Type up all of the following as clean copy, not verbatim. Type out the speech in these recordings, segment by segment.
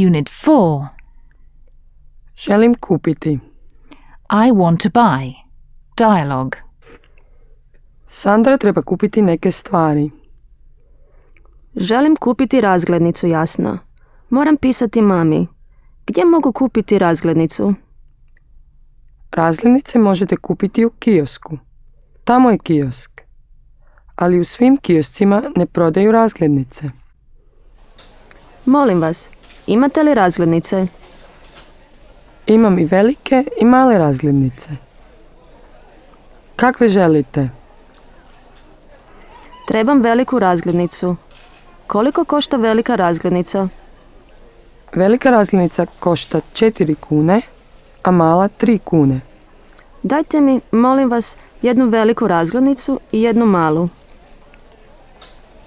Unit 4. Želim kupiti. I want to buy. Dialogue. Sandra treba kupiti neke stvari. Želim kupiti razglednicu, Jasna. Moram pisati mami. Gdje mogu kupiti razglednicu? Razglednice možete kupiti u kiosku. Tamo je kiosk. Ali u svim kioscima ne prodaju razglednice. Molim vas, imate li razglednice? Imam i velike i male razglednice. Kakve želite? Trebam veliku razglednicu. Koliko košta velika razglednica? Velika razglednica košta 4 kune, a mala 3 kune. Dajte mi, molim vas, jednu veliku razglednicu i jednu malu.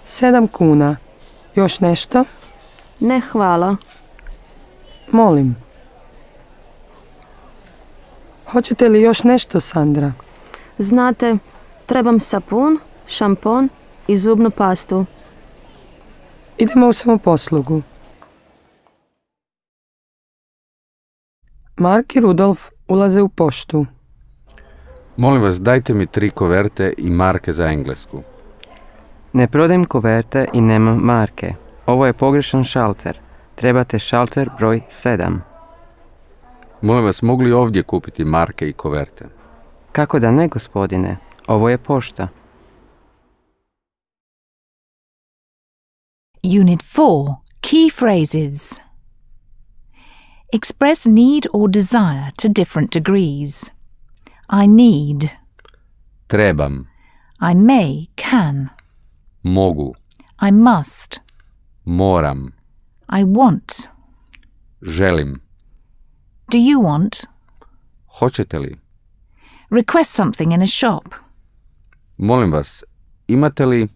7 kuna. Još nešto? Ne, hvala. Molim. Hoćete li još nešto, Sandra? Znate, trebam sapun, šampon i zubnu pastu. Idemo u samoposlugu. Mark i Rudolf ulaze u poštu. Molim vas, dajte mi 3 koverte i marke za englesku. Ne prodajem koverte i nemam marke. Ovo je pogrešan šalter. Trebate šalter broj 7. Molim vas, mogu li ovdje kupiti marke i koverte? Kako da ne, gospodine? Ovo je pošta. Unit 4. Key phrases. Express need or desire to different degrees. I need. Trebam. I may, can. Mogu. I must. Moram. I want. Želim. Do you want? Hoćete li? Request something in a shop. Molim vas, imate li...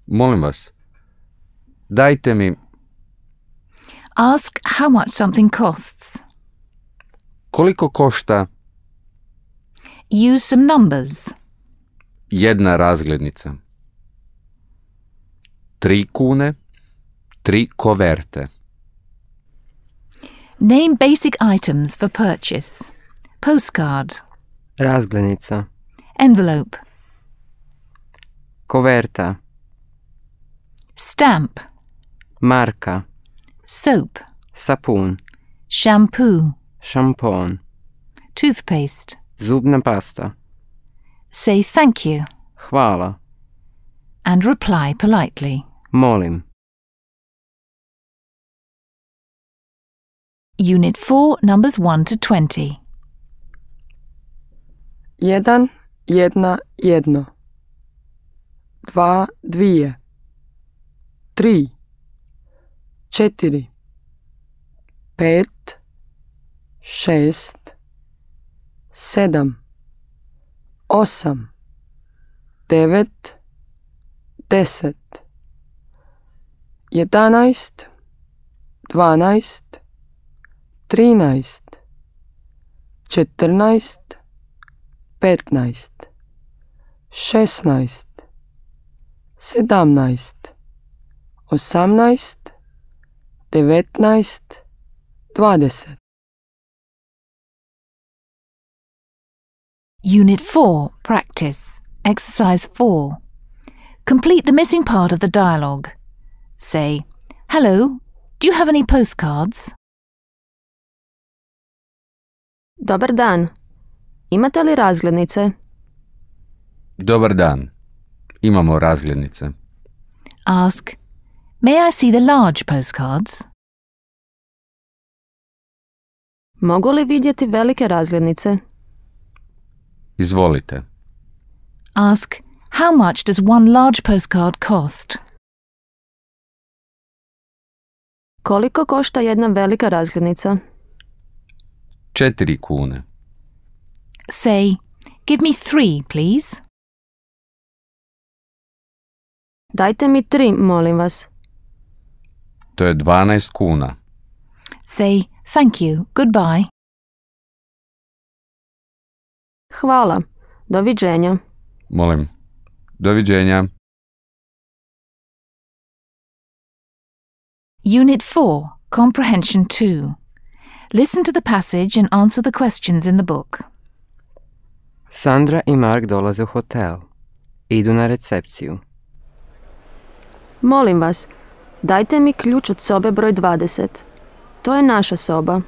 Molim vas, dajte mi... Ask how much something costs. Koliko košta Use some numbers. jedna razglednica? 3 kune, 3 koverte. Name basic items for purchase. Postcard. Razglednica. Envelope. Koverta. Stamp. Marka. Soap. Sapun. Shampoo. Šampon. Toothpaste. Zubna pasta. Say thank you Hvala. and reply politely. Molim. Unit 4, numbers 1 to 20. 1, 1, 1. 2, 2. 3, 4. 5, 6. 7, 8. 9, 10. 11, 12. 13, 14, 15, 16, 17, 18, 19, 20. Unit 4, practice. Exercise 4. Complete the missing part of the dialogue. Say, hello, do you have any postcards? Dobar dan. Imate li razglednice? Dobar dan. Imamo razglednice. Ask, may I see the large postcards? Mogu li vidjeti velike razglednice? Izvolite. Ask, how much does one large postcard cost? Koliko košta jedna velika razglednica? 4 kune. Say, give me 3, please. Dajte mi 3, molim vas. To je 12 kuna. Say, thank you, goodbye. Hvala. Doviđenja. Molim. Doviđenja. Unit 4, Comprehension 2. Listen to the passage and answer the questions in the book. Sandra i Mark dolaze u hotel. Idu na recepciju. Molim vas, dajte mi ključ od sobe broj 20. To je naša soba.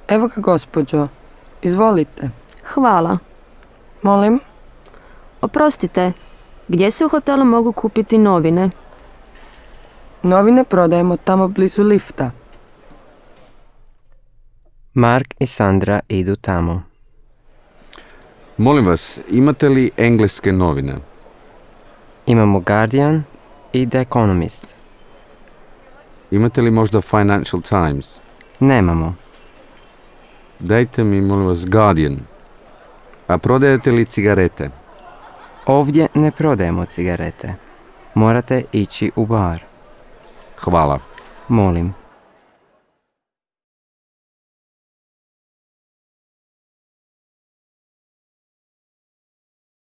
Evo ga, gospođo. Izvolite. Hvala. Molim? Oprostite, gdje se u hotelu mogu kupiti novine? Novine prodajemo tamo blizu lifta. Mark i Sandra idu tamo. Molim vas, imate li engleske novine? Imamo Guardian i The Economist. Imate li možda Financial Times? Nemamo. Dajte mi, molim vas, Guardian. A prodajete li cigarete? Ovdje ne prodajemo cigarete. Morate ići u bar. Hvala. Molim.